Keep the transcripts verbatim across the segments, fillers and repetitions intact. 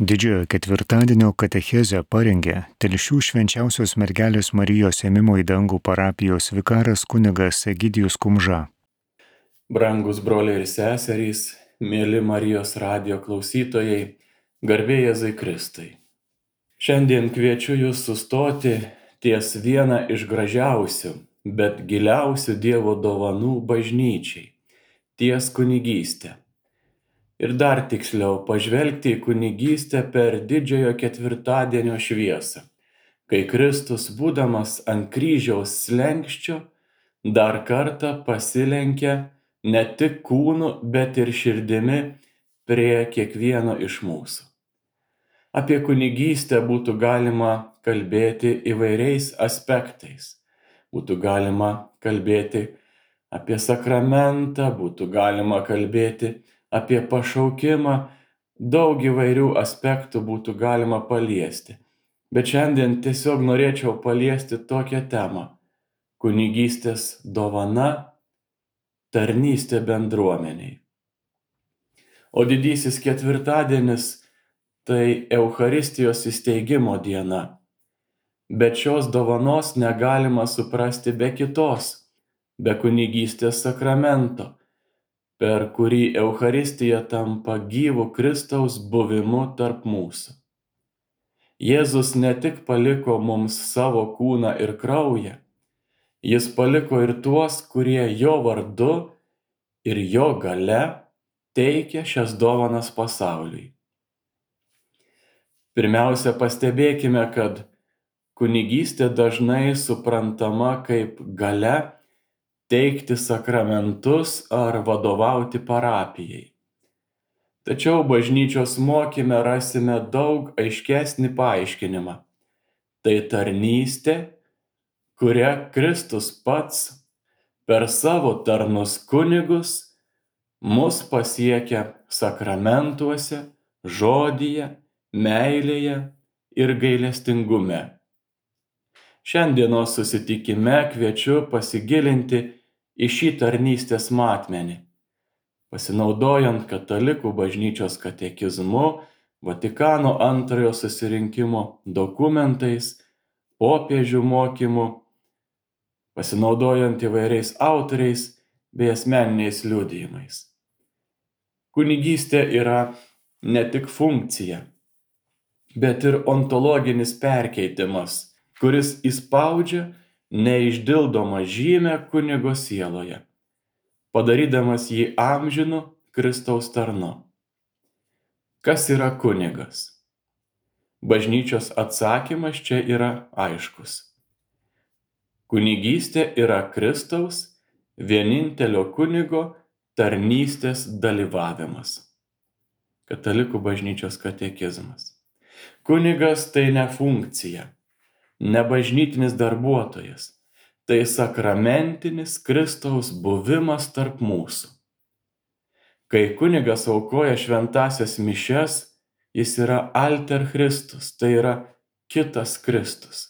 Didžiojo ketvirtadienio katechezę parengė Telšių Švenčiausios Mergelės Marijos Ėmimo į dangų parapijos vikaras kunigas Egidijus Kumža. Brangus broliai ir seserys, mėly Marijos radijo klausytojai, garbė Jėzui Kristui. Šiandien kviečiu jūs sustoti ties vieną iš gražiausių, bet giliausių Dievo dovanų bažnyčiai - ties kunigystę. Ir dar tiksliau pažvelgti į kunigystę per didžiojo ketvirtadienio šviesą, kai Kristus, būdamas ant kryžiaus slenksčio, dar kartą pasilenkia ne tik kūnu, bet ir širdimi prie kiekvieno iš mūsų. Apie kunigystę būtų galima kalbėti įvairiais aspektais. Būtų galima kalbėti apie sakramentą, būtų galima kalbėti apie pašaukimą, daug įvairių aspektų būtų galima paliesti. Bet šiandien tiesiog norėčiau paliesti tokią temą - kunigystės dovana, tarnystė bendruomeniai. O didysis ketvirtadienis tai Eucharistijos įsteigimo diena. Bet šios dovanos negalima suprasti be kitos, be kunigystės sakramento, per kurį Eucharistija tampa gyvu Kristaus buvimu tarp mūsų. Jėzus ne tik paliko mums savo kūną ir kraują, jis paliko ir tuos, kurie jo vardu ir jo galia teikia šias dovanas pasauliui. Pirmiausia, pastebėkime, kad kunigystė dažnai suprantama kaip galia teikti sakramentus ar vadovauti parapijai. Tačiau bažnyčios mokyme rasime daug aiškesnį paaiškinimą. Tai tarnystė, kuria Kristus pats per savo tarnus kunigus mus pasiekia sakramentuose, žodyje, meilėje ir gailestingume. Šiandienos susitikime kviečiu pasigilinti į šį tarnystės matmenį, pasinaudojant Katalikų bažnyčios katekizmu, Vatikano antrojo susirinkimo dokumentais, popiežių mokymu, pasinaudojant įvairiais autoriais bei asmeniniais liudijimais. Kunigystė yra ne tik funkcija, bet ir ontologinis perkeitimas, kuris įspaudžia neišdildomą žymę kunigo sieloje, padarydamas jį amžinu Kristaus tarnu. Kas yra kunigas? Bažnyčios atsakymas čia yra aiškus. Kunigystė yra Kristaus, vienintelio kunigo, tarnystės dalyvavimas. Katalikų bažnyčios katekizmas. Kunigas tai ne funkcija, ne bažnytinis darbuotojas, tai sakramentinis Kristaus buvimas tarp mūsų. Kai kunigas aukoja šventąsias mišias, jis yra alter Christus, tai yra kitas Kristus.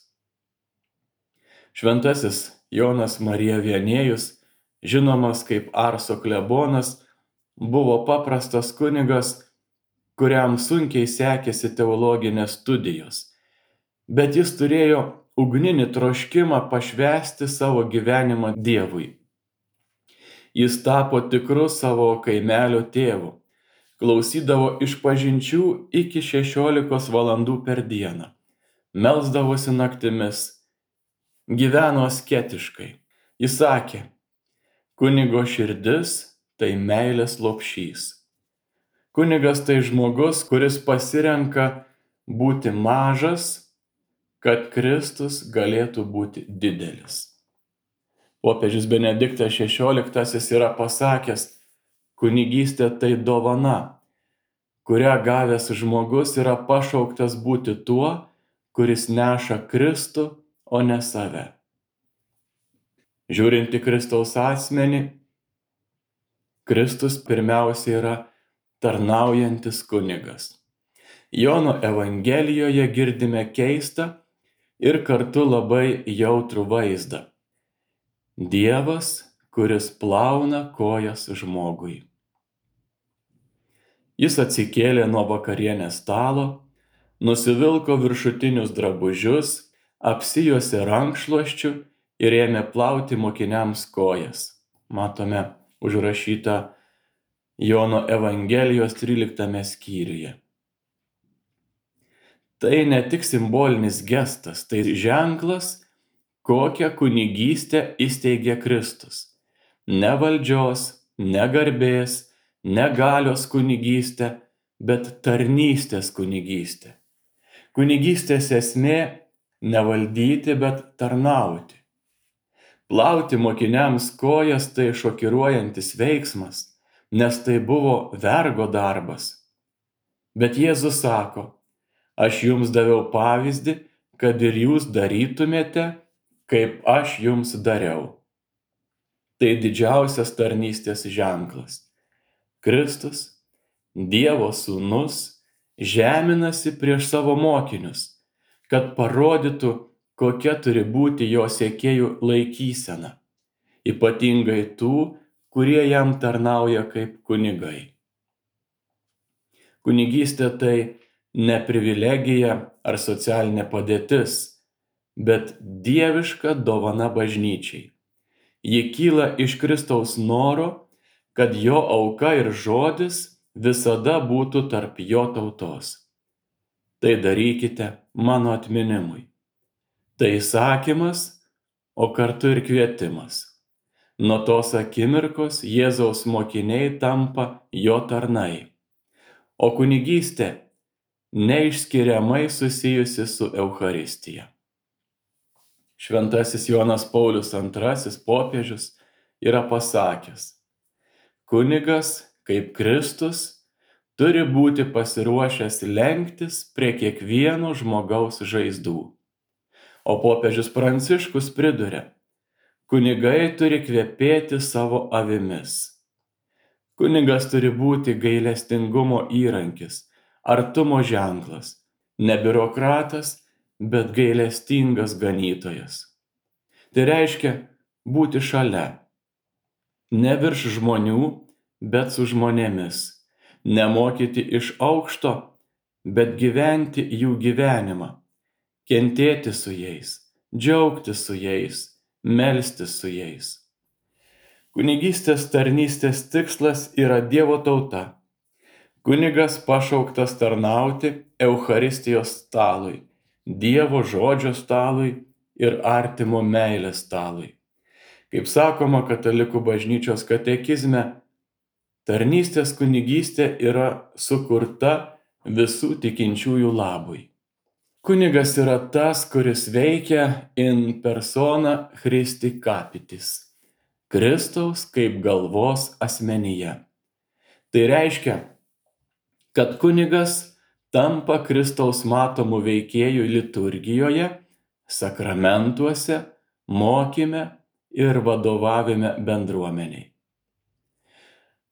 Šventasis Jonas Marija Vienėjus, žinomas kaip Arso klebonas, buvo paprastas kunigas, kuriam sunkiai sekėsi teologinės studijos. Bet jis turėjo ugninį troškimą pašvęsti savo gyvenimą Dievui. Jis tapo tikru savo kaimelio tėvu, klausydavo išpažinčių iki šešiolikos valandų per dieną, melsdavosi naktimis, gyveno asketiškai. Jis sakė, kunigo širdis tai meilės lopšys. Kunigas tai žmogus, kuris pasirenka būti mažas, kad Kristus galėtų būti didelis. Popiežius Benediktas šešioliktasis yra pasakęs, kunigystė tai dovana, kurią gavęs žmogus yra pašauktas būti tuo, kuris neša Kristų, o ne save. Žiūrint į Kristaus asmenį, Kristus pirmiausia yra tarnaujantis kunigas. Jono Evangelijoje girdime keistą ir kartu labai jautrų vaizdą. Dievas, kuris plauna kojas žmogui. Jis atsikėlė nuo vakarienės stalo, nusivilko viršutinius drabužius, apsijuosė rankšluosčiu ir ėmė plauti mokiniams kojas. Matome užrašytą Jono Evangelijos tryliktame skyriuje. Tai ne tik simbolinis gestas, tai ženklas, kokią kunigystę įsteigė Kristus. Ne valdžios, ne garbės, ne galios kunigystė, bet tarnystės kunigystė. Kunigystės esmė ne valdyti, bet tarnauti. Plauti mokiniams kojas tai šokiruojantis veiksmas, nes tai buvo vergo darbas. Bet Jėzus sako, aš jums daviau pavyzdį, kad ir jūs darytumėte, kaip aš jums dariau. Tai didžiausias tarnystės ženklas. Kristus, Dievo sūnus, žeminasi prieš savo mokinius, kad parodytų, kokia turi būti jo sekėjų laikysena, ypatingai tų, kurie jam tarnauja kaip kunigai. Kunigystė tai ne privilegija ar socialinė padėtis, bet dieviška dovana bažnyčiai. Ji kyla iš Kristaus noro, kad jo auka ir žodis visada būtų tarp jo tautos. Tai darykite mano atminimui. Tai įsakymas, o kartu ir kvietimas. Nuo tos akimirkos Jėzaus mokiniai tampa jo tarnai. O kunigystė neišskiriamai susijusi su Eucharistija. Šventasis Jonas Paulius antrasis popiežius yra pasakęs, kunigas, kaip Kristus, turi būti pasiruošęs lenktis prie kiekvieno žmogaus žaizdų. O popiežius Pranciškus priduria, kunigai turi kvepėti savo avimis. Kunigas turi būti gailestingumo įrankis, artumo ženklas, ne biurokratas, bet gailestingas ganytojas. Tai reiškia būti šalia, ne virš žmonių, bet su žmonėmis, nemokyti iš aukšto, bet gyventi jų gyvenimą, kentėti su jais, džiaugtis su jais, melstis su jais. Kunigystės tarnystės tikslas yra Dievo tauta. Kunigas pašauktas tarnauti Eucharistijos stalui, Dievo žodžio stalui ir artimo meilės stalui. Kaip sakoma katalikų bažnyčios katekizme, tarnystės kunigystė yra sukurta visų tikinčiųjų labui. Kunigas yra tas, kuris veikia in persona Christi capitis, Kristaus kaip galvos asmenyje. Tai reiškia, kad kunigas tampa Kristaus matomų veikėjų liturgijoje, sakramentuose, mokyme ir vadovavime bendruomeniai.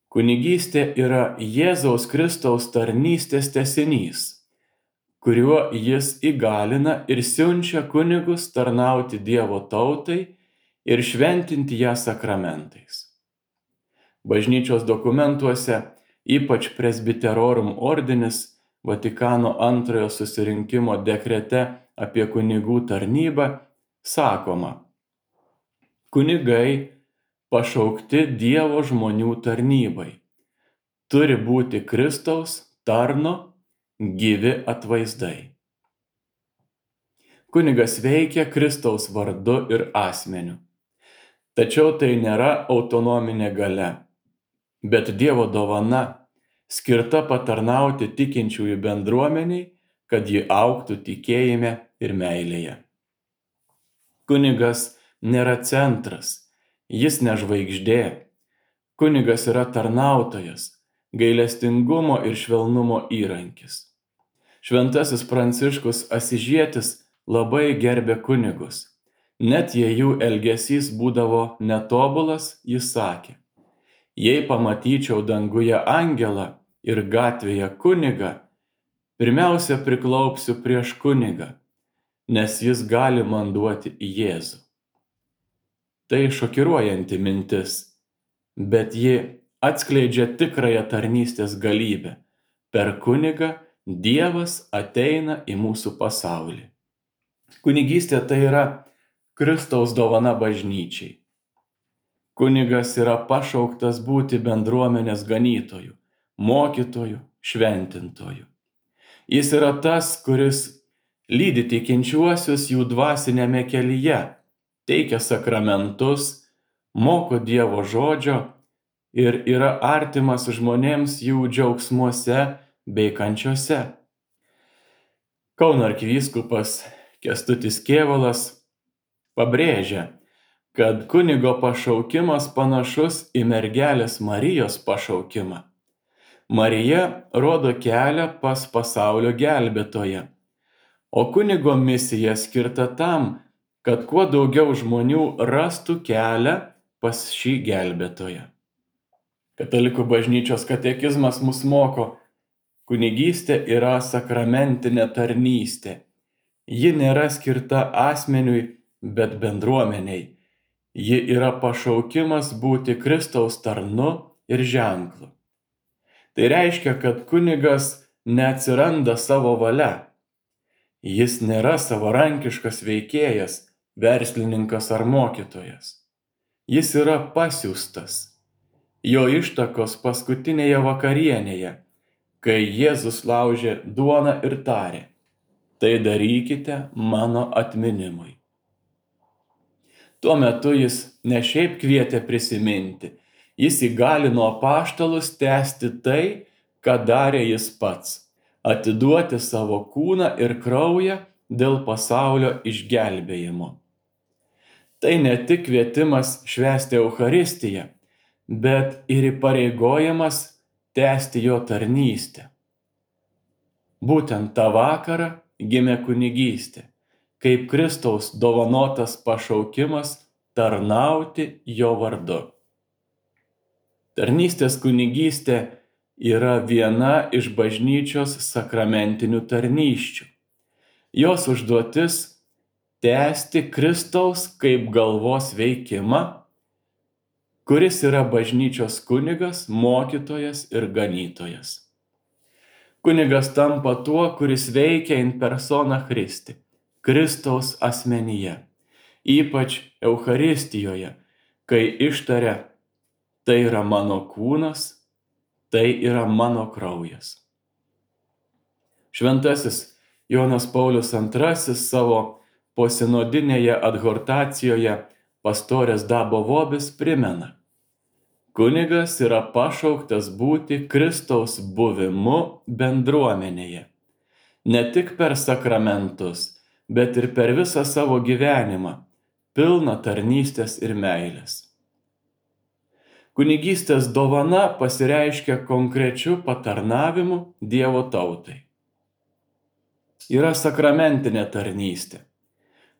Kunigystė yra Jėzaus Kristaus tarnystės tęsinys, kuriuo jis įgalina ir siunčia kunigus tarnauti Dievo tautai ir šventinti ją sakramentais. Bažnyčios dokumentuose, ypač Presbyterorum ordinis, Vatikano antrojo susirinkimo dekrete apie kunigų tarnybą, sakoma, kunigai pašaukti Dievo žmonių tarnybai, turi būti Kristaus tarno gyvi atvaizdai. Kunigas veikia Kristaus vardu ir asmeniu. Tačiau tai nėra autonominė galia, bet Dievo dovana, skirta patarnauti tikinčiųjų bendruomeniai, kad ji augtų tikėjime ir meilėje. Kunigas nėra centras, jis ne žvaigždė. Kunigas yra tarnautojas, gailestingumo ir švelnumo įrankis. Šventasis Pranciškus Asyžietis labai gerbė kunigus. Net jei jų elgesys būdavo netobulas, jis sakė, jei pamatyčiau danguje angelą ir gatvėje kunigą, pirmiausia priklaupsiu prieš kunigą, nes jis gali man duoti Jėzų. Tai šokiruojanti mintis, bet ji atskleidžia tikrąją tarnystės galybę, Per kunigą Dievas ateina į mūsų pasaulį. Kunigystė tai yra Kristaus dovana bažnyčiai. Kunigas yra pašauktas būti bendruomenės ganytoju, mokytoju, šventintoju. Jis yra tas, kuris lydi tikinčiuosius jų dvasinėme kelyje, teikia sakramentus, moko Dievo žodžio ir yra artimas žmonėms jų džiaugsmuose bei kančiose. Kauno arkivyskupas Kęstutis Kėvalas pabrėžia, kad kunigo pašaukimas panašus į mergelės Marijos pašaukimą. Marija rodo kelią pas pasaulio gelbėtoją, o kunigo misija skirta tam, kad kuo daugiau žmonių rastų kelią pas šį gelbėtoją. Katalikų bažnyčios katekizmas mus moko, kunigystė yra sakramentinė tarnystė. Ji nėra skirta asmeniui, bet bendruomeniai. Ji yra pašaukimas būti Kristaus tarnu ir ženklu. Tai reiškia, kad kunigas neatsiranda savo valia. Jis nėra savarankiškas veikėjas, verslininkas ar mokytojas. Jis yra pasiųstas. Jo ištakos paskutinėje vakarienėje, kai Jėzus laužė duoną ir tarė: tai darykite mano atminimui. Tuo metu jis ne šiaip kvietė prisiminti, jis įgalino apaštalus tęsti tai, ką darė jis pats, atiduoti savo kūną ir kraują dėl pasaulio išgelbėjimo. Tai ne tik kvietimas švęsti Eucharistiją, bet ir įpareigojimas tęsti jo tarnystę. Būtent tą vakarą gimė kunigystė, kaip Kristaus dovanotas pašaukimas tarnauti jo vardu. Tarnystės kunigystė yra viena iš bažnyčios sakramentinių tarnysčių. Jos užduotis – tęsti Kristaus kaip galvos veikimą, kuris yra bažnyčios kunigas, mokytojas ir ganytojas. Kunigas tampa tuo, kuris veikia in persona Christi, Kristaus asmenyje, ypač Eucharistijoje, kai ištaria: tai yra mano kūnas, tai yra mano kraujas. Šventasis Jonas Paulius antrasis savo posinodinėje adhortacijoje Pastorės Dabo Vobis primena: kunigas yra pašauktas būti Kristaus buvimu bendruomenėje, ne tik per sakramentus, bet ir per visą savo gyvenimą, pilną tarnystės ir meilės. Kunigystės dovana pasireiškia konkrečiu patarnavimu Dievo tautai. Yra sakramentinė tarnystė.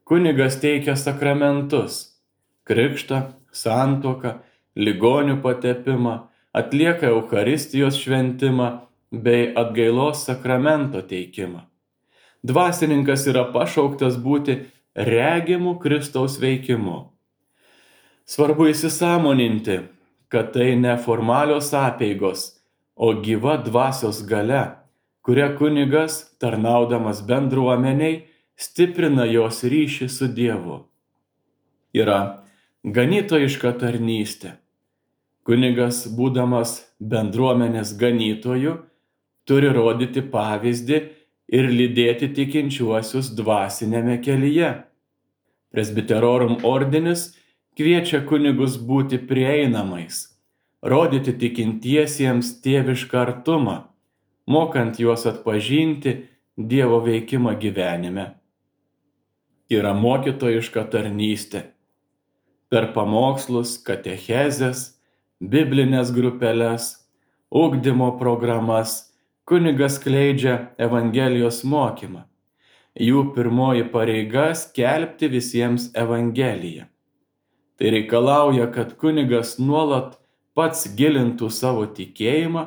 Kunigas teikia sakramentus – krikštą, santuoką, ligonių patepimą, atlieka Eucharistijos šventimą bei atgailos sakramento teikimą. Dvasininkas yra pašauktas būti regimu Kristaus veikimu. Svarbu įsisąmoninti, kad tai ne formalios apeigos, o gyva dvasios galia, kuria kunigas, tarnaudamas bendruomeniai, stiprina jos ryšį su Dievu. Yra ganytojiška tarnystė. Kunigas, būdamas bendruomenės ganytoju, turi rodyti pavyzdį ir lydėti tikinčiuosius dvasinėme kelyje. Presbiterorum ordinis kviečia kunigus būti prieinamais, rodyti tikintiesiems tėvišką artumą, mokant juos atpažinti Dievo veikimą gyvenime. Yra mokytojiška tarnystė. Per pamokslus, katechezes, biblinės grupeles, ugdymo programas kunigas skleidžia Evangelijos mokymą. Jų pirmoji pareiga skelbti visiems Evangeliją. Tai reikalauja, kad kunigas nuolat pats gilintų savo tikėjimą,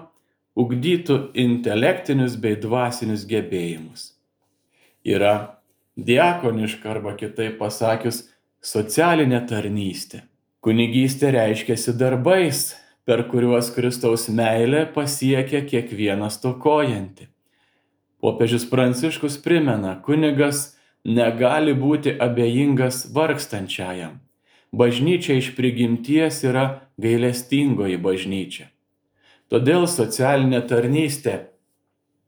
ugdytų intelektinius bei dvasinius gebėjimus. Yra diakoniška arba kitaip pasakius socialinė tarnystė. Kunigystė reiškiasi darbais, per kuriuos Kristaus meilė pasiekia kiekvieną stokojantį. Popiežius Pranciškus primena, kunigas negali būti abejingas vargstančiajam. Bažnyčia iš prigimties yra gailestingoji bažnyčia. Todėl socialinė tarnystė,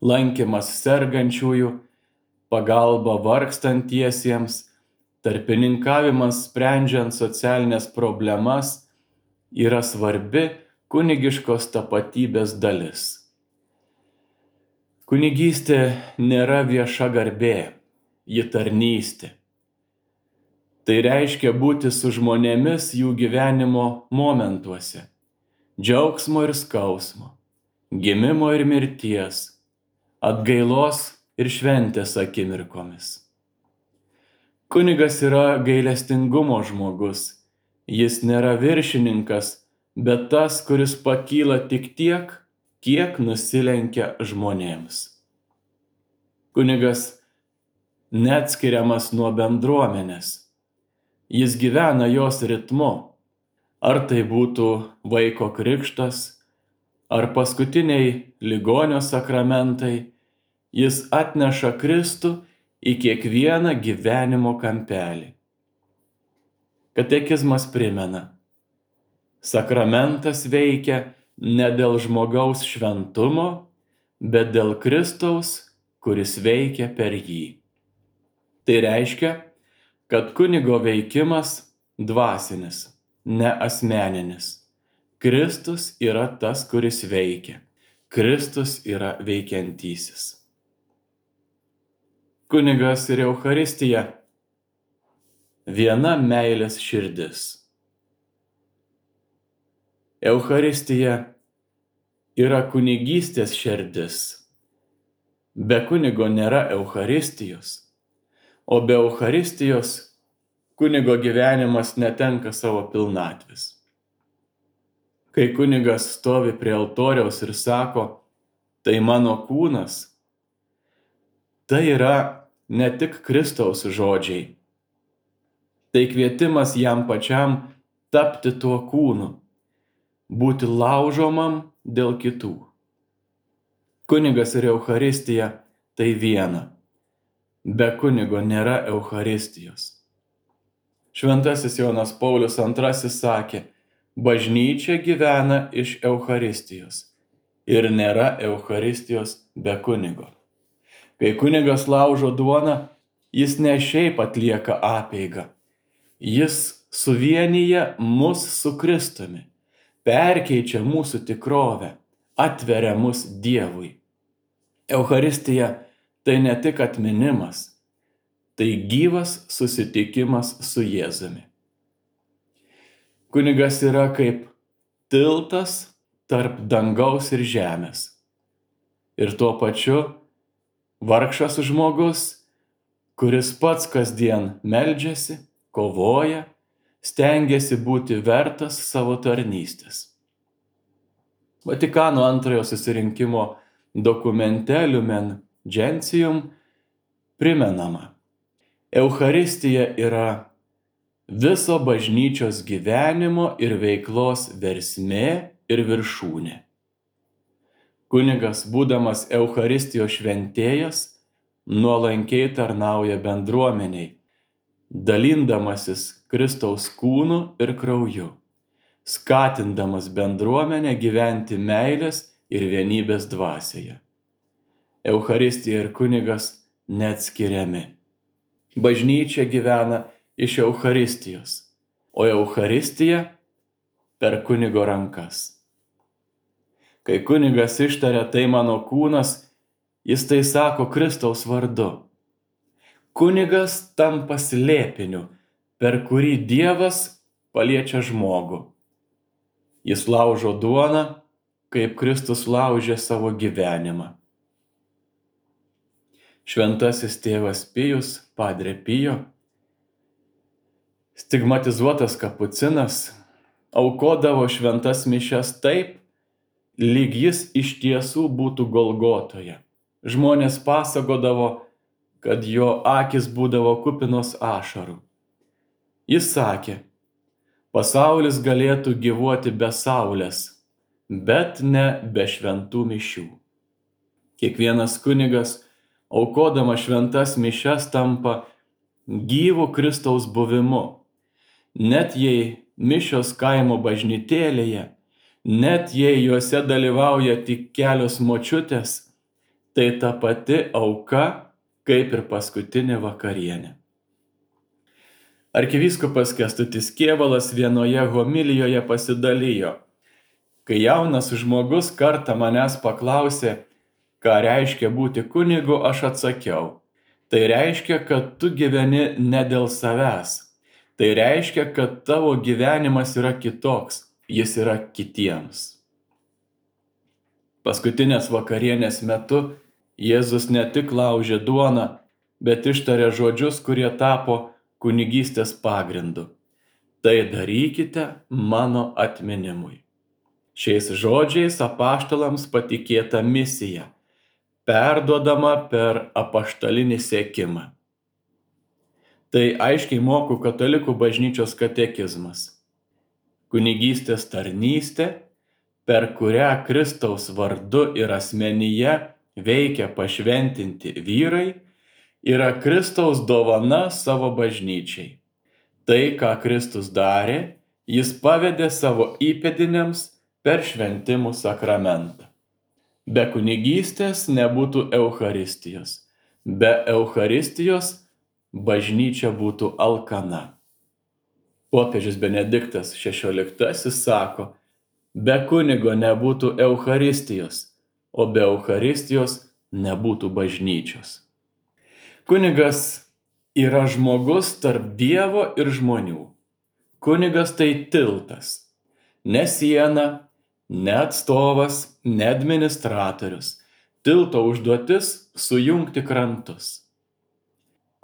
lankymas sergančiųjų, pagalba vargstantiesiems, tarpininkavimas sprendžiant socialinės problemas yra svarbi kunigiškos tapatybės dalis. Kunigystė nėra vieša garbė, ji tarnystė. Tai reiškia būti su žmonėmis jų gyvenimo momentuose, džiaugsmo ir skausmo, gimimo ir mirties, atgailos ir šventės akimirkomis. Kunigas yra gailestingumo žmogus, jis nėra viršininkas, bet tas, kuris pakyla tik tiek, kiek nusilenkia žmonėms. Kunigas neatskiriamas nuo bendruomenės. Jis gyvena jos ritmu. Ar tai būtų vaiko krikštas, ar paskutiniai ligonio sakramentai, jis atneša Kristų į kiekvieną gyvenimo kampelį. Katekizmas primena, sakramentas veikia ne dėl žmogaus šventumo, bet dėl Kristaus, kuris veikia per jį. Tai reiškia, kad kunigo veikimas dvasinis, ne asmeninis. Kristus yra tas, kuris veikia. Kristus yra veikiantysis. Kunigas ir Eucharistija viena meilės širdis. Eucharistija yra kunigystės širdis. Be kunigo nėra Eucharistijos, o be Eucharistijos kunigo gyvenimas netenka savo pilnatvės. Kai kunigas stovi prie altoriaus ir sako, tai mano kūnas, tai yra ne tik Kristaus žodžiai, tai kvietimas jam pačiam tapti tuo kūnu, būti laužomam dėl kitų. Kunigas ir Eucharistija tai viena. Be kunigo nėra Eucharistijos. Šventasis Jonas Paulius antrasis sakė, bažnyčia gyvena iš Eucharistijos ir nėra Eucharistijos be kunigo. Kai kunigas laužo duoną, jis ne šiaip atlieka apeigą. Jis suvienyja mus su Kristumi, perkeičia mūsų tikrovę, atveria mus Dievui. Eucharistija tai ne tik atminimas, tai gyvas susitikimas su Jėzumi. Kunigas yra kaip tiltas tarp dangaus ir žemės. Ir tuo pačiu vargšas žmogus, kuris pats kasdien meldžiasi, kovoja, stengiasi būti vertas savo tarnystės. Vatikano antrojo susirinkimo dokumente Lumen Gentium primenama, Eucharistija yra viso bažnyčios gyvenimo ir veiklos versmė ir viršūnė. Kunigas, būdamas Eucharistijos šventėjas, nuolankiai tarnauja bendruomeniai, dalindamasis Kristaus kūnu ir krauju, skatindamas bendruomenę gyventi meilės ir vienybės dvasioje. Eucharistija ir kunigas neatskiriami. Bažnyčia gyvena iš Eucharistijos, o Eucharistija per kunigo rankas. Kai kunigas ištaria tai mano kūnas, jis tai sako Kristaus vardu. Kunigas tampa slėpiniu, per kurį Dievas paliečia žmogų. Jis laužo duoną, kaip Kristus laužė savo gyvenimą. Šventasis tėvas Pijus, Padre Pijo, stigmatizuotas kapucinas, aukodavo šventas mišias taip, lyg jis iš tiesų būtų Golgotoje. Žmonės pasakodavo, kad jo akys būdavo kupinos ašarų. Jis sakė, pasaulis galėtų gyvuoti be saulės, bet ne be šventų mišių. Kiekvienas kunigas, aukodama šventas mišias, tampa gyvu Kristaus buvimu. Net jei mišios kaimo bažnytėlėje, net jei juose dalyvauja tik kelios močiutės, tai ta pati auka, kaip ir paskutinė vakarienė. Arkivyskupas Kęstutis Kėvalas vienoje homilijoje pasidalijo: kai jaunas žmogus kartą manęs paklausė, ką reiškia būti kunigu, aš atsakiau: tai reiškia, kad tu gyveni ne dėl savęs. Tai reiškia, kad tavo gyvenimas yra kitoks, jis yra kitiems. Paskutinės vakarienės metu Jėzus ne tik laužė duoną, bet ištarė žodžius, kurie tapo kunigystės pagrindu: tai darykite mano atminimui. Šiais žodžiais apaštalams patikėta misija, perduodama per apaštalinį sekimą. Tai aiškiai moko katalikų bažnyčios katekizmas. Kunigystės tarnystė, per kurią Kristaus vardu ir asmenyje veikia pašventinti vyrai, yra Kristaus dovana savo bažnyčiai. Tai, ką Kristus darė, jis pavedė savo įpėdiniams per šventimų sakramentą. Be kunigystės nebūtų Eucharistijos. Be Eucharistijos bažnyčia būtų alkana. Popiežius Benediktas šešioliktasis sako: be kunigo nebūtų Eucharistijos, o be Eucharistijos nebūtų bažnyčios. Kunigas yra žmogus tarp Dievo ir žmonių. Kunigas tai tiltas, ne siena, ne atstovas, ne administratorius. Tilto užduotis – sujungti krantus.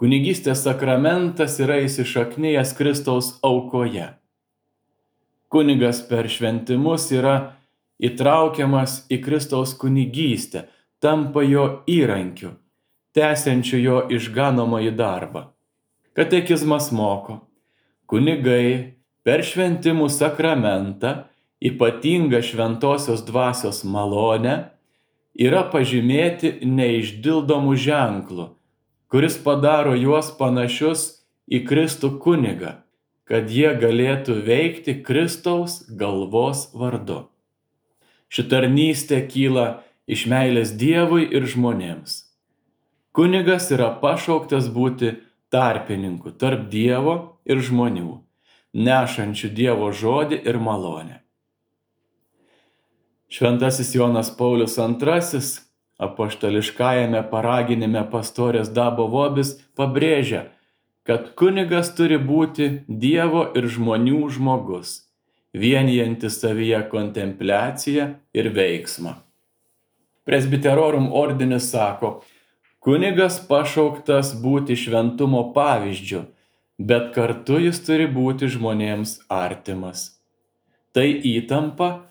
Kunigystės sakramentas yra įsišaknijęs Kristaus aukoje. Kunigas per šventimus yra įtraukiamas į Kristaus kunigystę, tampa jo įrankiu, tęsiančiu jo išganomąjį darbą. Katekizmas moko: kunigai per šventimų sakramentą, ypatingą šventosios dvasios malonę, yra pažymėti neišdildomų ženklų, kuris padaro juos panašius į Kristų kunigą, kad jie galėtų veikti Kristaus galvos vardu. Ši tarnystė kyla iš meilės Dievui ir žmonėms. Kunigas yra pašauktas būti tarpininku tarp Dievo ir žmonių, nešančių Dievo žodį ir malonę. Šventasis Jonas Paulius antrasis apaštališkajame paraginime Pastorės Dabo Vobis pabrėžia, kad kunigas turi būti Dievo ir žmonių žmogus, vienijantis savyje kontempliaciją ir veiksmą. Presbiterorum ordinis sako: kunigas pašauktas būti šventumo pavyzdžiu, bet kartu jis turi būti žmonėms artimas. Tai įtampa,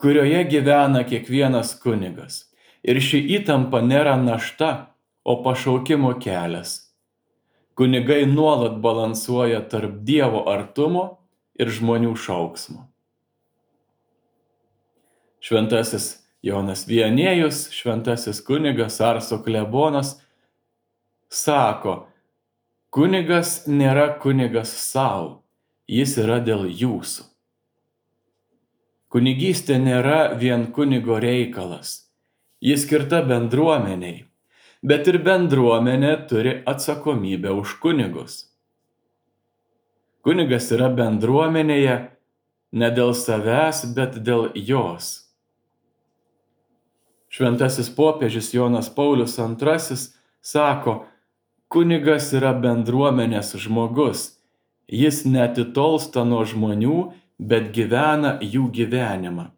kurioje gyvena kiekvienas kunigas. Ir ši įtampa nėra našta, o pašaukimo kelias. Kunigai nuolat balansuoja tarp Dievo artumo ir žmonių šauksmo. Šventasis Jonas Viannėjus, šventasis kunigas Arso klebonas, sako: kunigas nėra kunigas savo, jis yra dėl jūsų. Kunigystė nėra vien kunigo reikalas. Jis skirta bendruomeniai, bet ir bendruomenė turi atsakomybę už kunigus. Kunigas yra bendruomenėje ne dėl savęs, bet dėl jos. Šventasis popiežius Jonas Paulius antrasis sako: kunigas yra bendruomenės žmogus. Jis neatitolsta nuo žmonių, bet gyvena jų gyvenimą.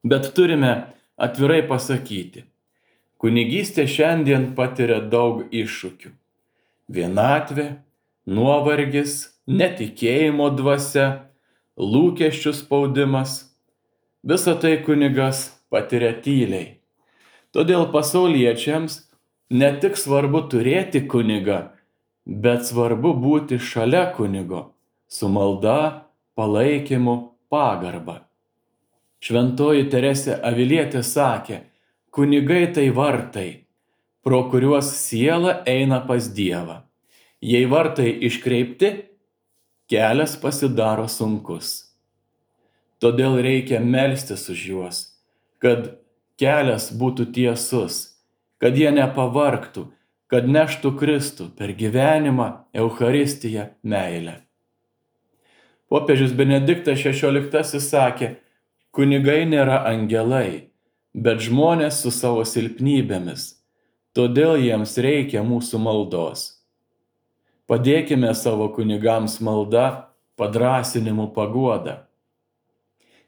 Bet turime atvirai pasakyti, kunigystė šiandien patiria daug iššūkių. Vienatvė, nuovargis, netikėjimo dvasia, lūkesčių spaudimas. Visa tai kunigas patiria tyliai. Todėl pasauliečiams ne tik svarbu turėti kunigą, bet svarbu būti šalia kunigo, su malda, palaikymu, pagarba. Šventoji Teresė Avilietė sakė, kunigai tai vartai, pro kuriuos siela eina pas Dievą. Jei vartai iškreipti, kelias pasidaro sunkus. Todėl reikia melstis už juos, kad kelias būtų tiesus, kad jie nepavargtų, kad neštų Kristų per gyvenimą, Eucharistiją, meilę. Popiežius Benediktas šešioliktasis sakė, kunigai nėra angelai, bet žmonės su savo silpnybėmis, todėl jiems reikia mūsų maldos. Padėkime savo kunigams malda, padrąsinimu, paguoda.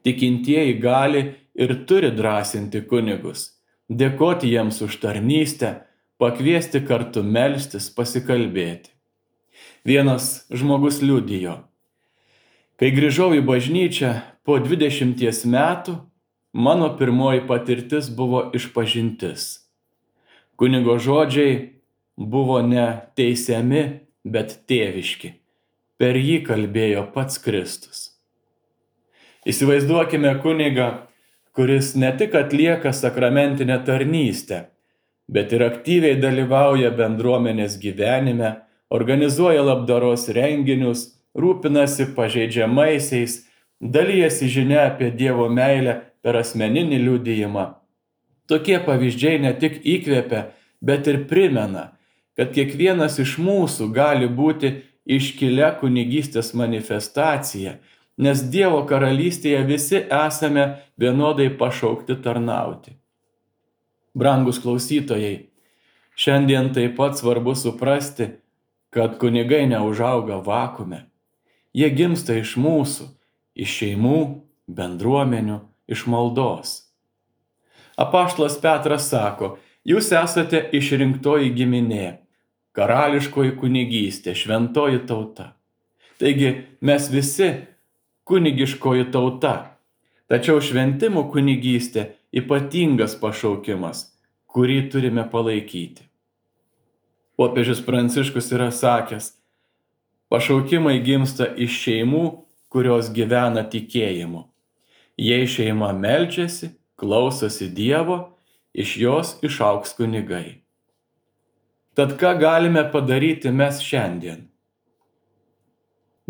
Tikintieji gali ir turi drąsinti kunigus, dėkoti jiems už tarnystę, pakviesti kartu melstis, pasikalbėti. Vienas žmogus liudijo, kai grįžau į bažnyčią po dvidešimties metų, mano pirmoji patirtis buvo išpažintis. Kunigo žodžiai buvo ne teisiami, bet tėviški. Per jį kalbėjo pats Kristus. Įsivaizduokime kunigą, kuris ne tik atlieka sakramentinę tarnystę, bet ir aktyviai dalyvauja bendruomenės gyvenime, organizuoja labdaros renginius, rūpinasi pažeidžiamaisiais, dalijasi žinia apie Dievo meilę per asmeninį liudijimą. Tokie pavyzdžiai ne tik įkvepia, bet ir primena, kad kiekvienas iš mūsų gali būti iškilia kunigystės manifestacija, nes Dievo karalystėje visi esame vienodai pašaukti tarnauti. Brangus klausytojai, šiandien taip pat svarbu suprasti, kad kunigai neužauga vakume. Jie gimsta iš mūsų, iš šeimų, bendruomenių, iš maldos. Apaštalas Petras sako, jūs esate išrinktoji giminė, karališkoji kunigystė, šventoji tauta. Taigi mes visi kunigiškoji tauta, tačiau šventimų kunigystė ypatingas pašaukimas, kurį turime palaikyti. Popiežius Pranciškus yra sakęs, pašaukimai gimsta iš šeimų, kurios gyvena tikėjimu. Jei šeima meldžiasi, klausosi Dievo, iš jos išaugs kunigai. Tad ką galime padaryti mes šiandien?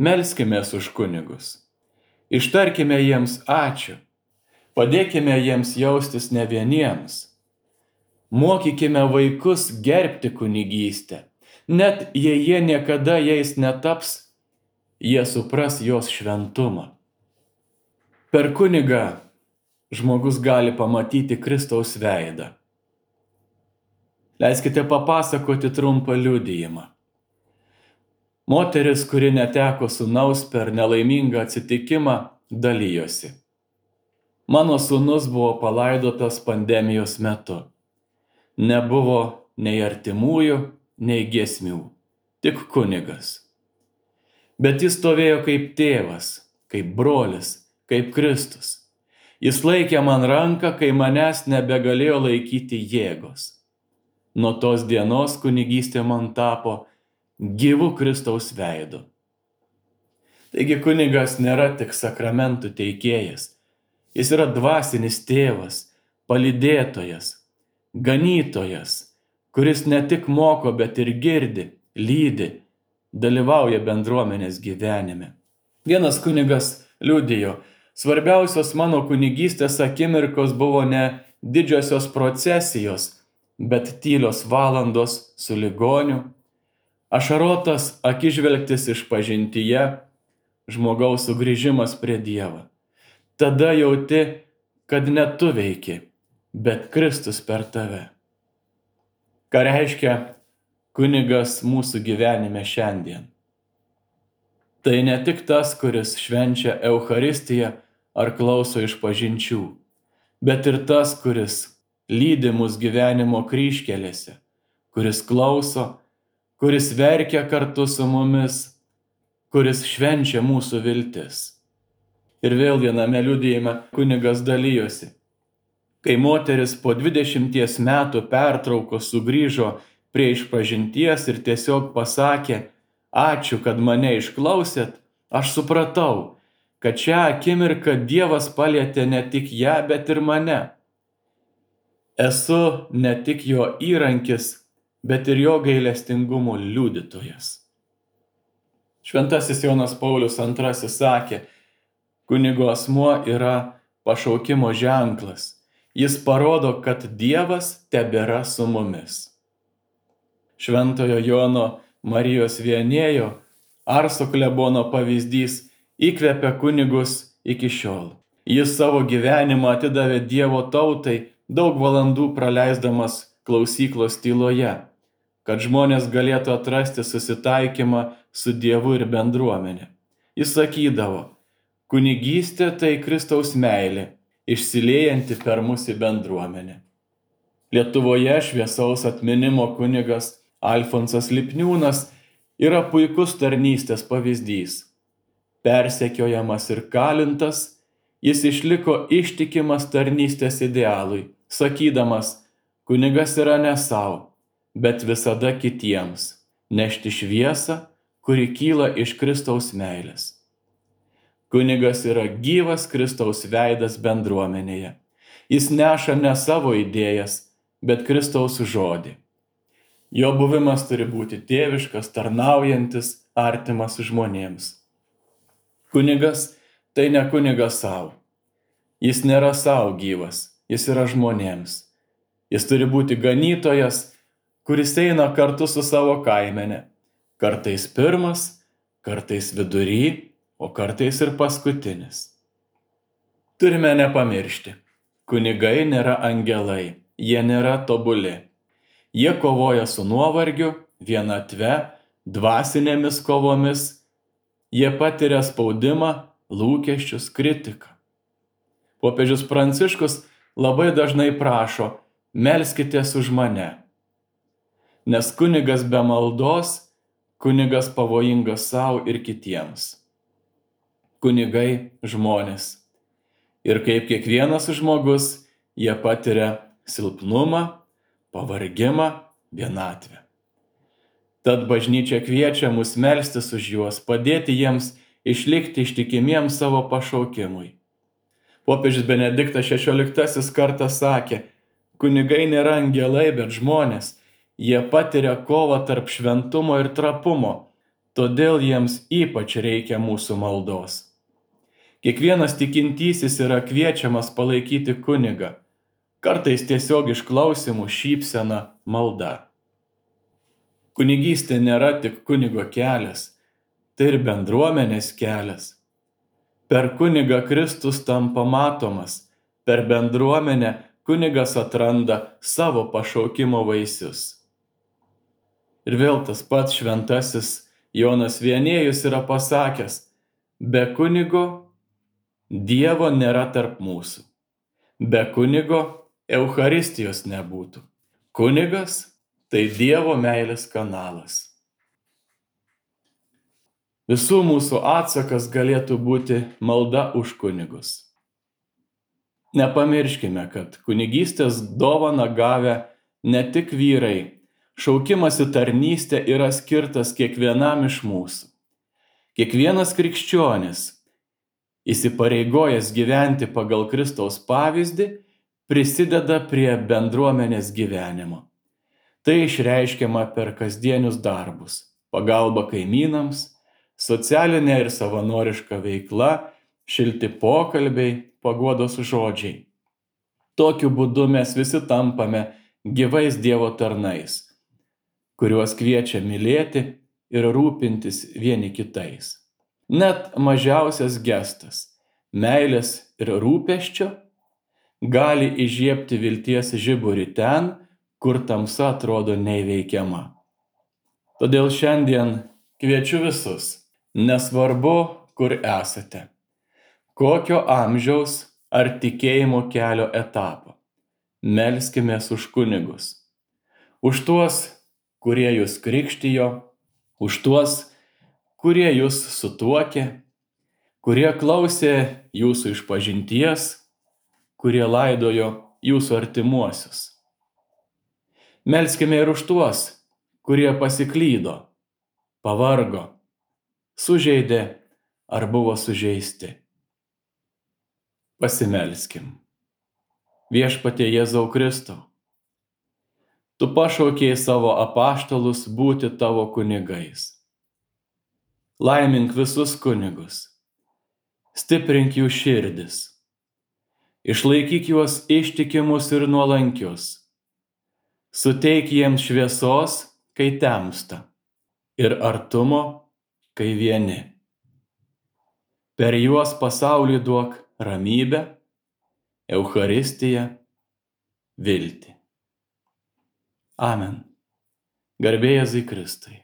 Melskimės už kunigus. Ištarkime jiems ačiū. Padėkime jiems jaustis ne vieniems. Mokykime vaikus gerbti kunigystę. Net jei jie niekada jais netaps, jie supras jos šventumą. Per kunigą žmogus gali pamatyti Kristaus veidą. Leiskite papasakoti trumpą liudijimą. Moteris, kuri neteko sūnaus per nelaimingą atsitikimą, dalijosi. Mano sūnus buvo palaidotas pandemijos metu. Nebuvo nei artimųjų, nei giesmių, tik kunigas. Bet jis stovėjo kaip tėvas, kaip brolis, kaip Kristus. Jis laikė man ranką, kai manęs nebegalėjo laikyti jėgos. Nuo tos dienos kunigystė man tapo gyvu Kristaus veidu. Taigi kunigas nėra tik sakramentų teikėjas. Jis yra dvasinis tėvas, palydėtojas, ganytojas, kuris ne tik moko, bet ir girdi, lydi, dalyvauja bendruomenės gyvenime. Vienas kunigas liudijo, svarbiausios mano kunigystės akimirkos buvo ne didžiosios procesijos, bet tylios valandos su ligoniu, ašarotas akižvelgtis išpažintyje, žmogaus sugrįžimas prie Dievo. Tada jauti, kad ne tu veiki, bet Kristus per tave. Ką reiškia kunigas mūsų gyvenime šiandien? Tai ne tik tas, kuris švenčia Eucharistiją ar klauso išpažinčių, bet ir tas, kuris lydi mus gyvenimo kryžkelėse, kuris klauso, kuris verkia kartu su mumis, kuris švenčia mūsų viltis. Ir vėl viename liudijime kunigas dalijosi. Kai moteris po dvidešimties metų pertraukos sugrįžo prie išpažinties ir tiesiog pasakė, ačiū, kad mane išklausėt, aš supratau, kad šią akimirką Dievas palietė ne tik ją, bet ir mane. Esu ne tik jo įrankis, bet ir jo gailestingumo liudytojas. Šventasis Jonas Paulius antrasis sakė, kunigo asmuo yra pašaukimo ženklas. Jis parodo, kad Dievas tebėra su mumis. Šventojo Jono Marijos Vienėjo Arso klebono pavyzdys įkvepia kunigus iki šiol. Jis savo gyvenimą atidavė Dievo tautai, daug valandų praleisdamas klausyklos tyloje, kad žmonės galėtų atrasti susitaikymą su Dievu ir bendruomenė. Jis sakydavo, kunigystė tai Kristaus meilė, išsiliejanti per mūsų bendruomenę. Lietuvoje šviesaus atminimo kunigas Alfonsas Lipniūnas yra puikus tarnystės pavyzdys. Persekiojamas ir kalintas, jis išliko ištikimas tarnystės idealui, sakydamas, kunigas yra ne savo, bet visada kitiems, nešti šviesą, kuri kyla iš Kristaus meilės. Kunigas yra gyvas Kristaus veidas bendruomenėje. Jis neša ne savo idėjas, bet Kristaus žodį. Jo buvimas turi būti tėviškas, tarnaujantis, artimas žmonėms. Kunigas tai ne kunigas savo. Jis nėra savo gyvas, jis yra žmonėms. Jis turi būti ganytojas, kuris eina kartu su savo kaimene. Kartais pirmas, kartais vidury, o kartais ir paskutinis. Turime nepamiršti, kunigai nėra angelai, jie nėra tobuli. Jie kovoja su nuovargiu, vienatve, dvasinėmis kovomis. Jie patiria spaudimą, lūkesčius, kritiką. Popiežius Pranciškus labai dažnai prašo, melskitės už mane. Nes kunigas be maldos, kunigas pavojingas savo ir kitiems. Kunigai žmonės. Ir kaip kiekvienas žmogus, jie patiria silpnumą, pavargimą, vienatvę. Tad bažnyčia kviečia mus melstis už juos, padėti jiems išlikti ištikimiems savo pašaukimui. Popiežius Benediktas šešioliktasis kartą sakė, kunigai nėra angelai, bet žmonės. Jie patiria kovą tarp šventumo ir trapumo, todėl jiems ypač reikia mūsų maldos. Kiekvienas tikintysis yra kviečiamas palaikyti kunigą, kartais tiesiog išklausimų, šypsena, malda. Kunigystė nėra tik kunigo kelias, tai ir bendruomenės kelias. Per kunigą Kristus tampa matomas, per bendruomenę kunigas atranda savo pašaukimo vaisius. Ir vėl tas pats šventasis Jonas Vienėjus yra pasakęs, be kunigo Dievo nėra tarp mūsų. Be kunigo Eucharistijos nebūtų. Kunigas tai Dievo meilės kanalas. Visų mūsų atsakas galėtų būti malda už kunigus. Nepamirškime, kad kunigystės dovaną gavę ne tik vyrai, šaukimas į tarnystę yra skirtas kiekvienam iš mūsų. Kiekvienas krikščionis, įsipareigojęs gyventi pagal Kristaus pavyzdį, prisideda prie bendruomenės gyvenimo. Tai išreiškiama per kasdienius darbus, pagalba kaimynams, socialinė ir savanoriška veikla, šilti pokalbiai, paguodos žodžiai. Tokiu būdu mes visi tampame gyvais Dievo tarnais, kuriuos kviečia mylėti ir rūpintis vieni kitais. Net mažiausias gestas, meilės ir rūpesčio, gali įžiebti vilties žiburį ten, kur tamsa atrodo neįveikiama. Todėl šiandien kviečiu visus, nesvarbu, kur esate, kokio amžiaus ar tikėjimo kelio etapo, melskimės už kunigus, už tuos, kurie jūs krikštijo, už tuos, kurie jūs sutuokė, kurie klausė jūsų išpažinties, kurie laidojo jūsų artimuosius. Melskime ir už tuos, kurie pasiklydo, pavargo, sužeidė ar buvo sužeisti. Pasimelskim. Viešpatie Jėzau Kristau, tu pašaukei savo apaštalus būti tavo kunigais. Laimink visus kunigus, stiprink jų širdis, išlaikyk juos ištikimus ir nuolankius, suteik jiems šviesos, kai temsta, ir artumo, kai vieni. Per juos pasauliui duok ramybę, Eucharistiją, viltį. Amen. Garbė Jėzui Kristui.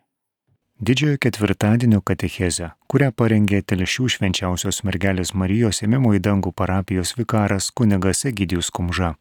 Didžiojo ketvirtadienio katechezę, kurią parengė Telšių švenčiausios mergelės Marijos ėmimo į dangų parapijos vikaras kunigas Egidijus Kumža.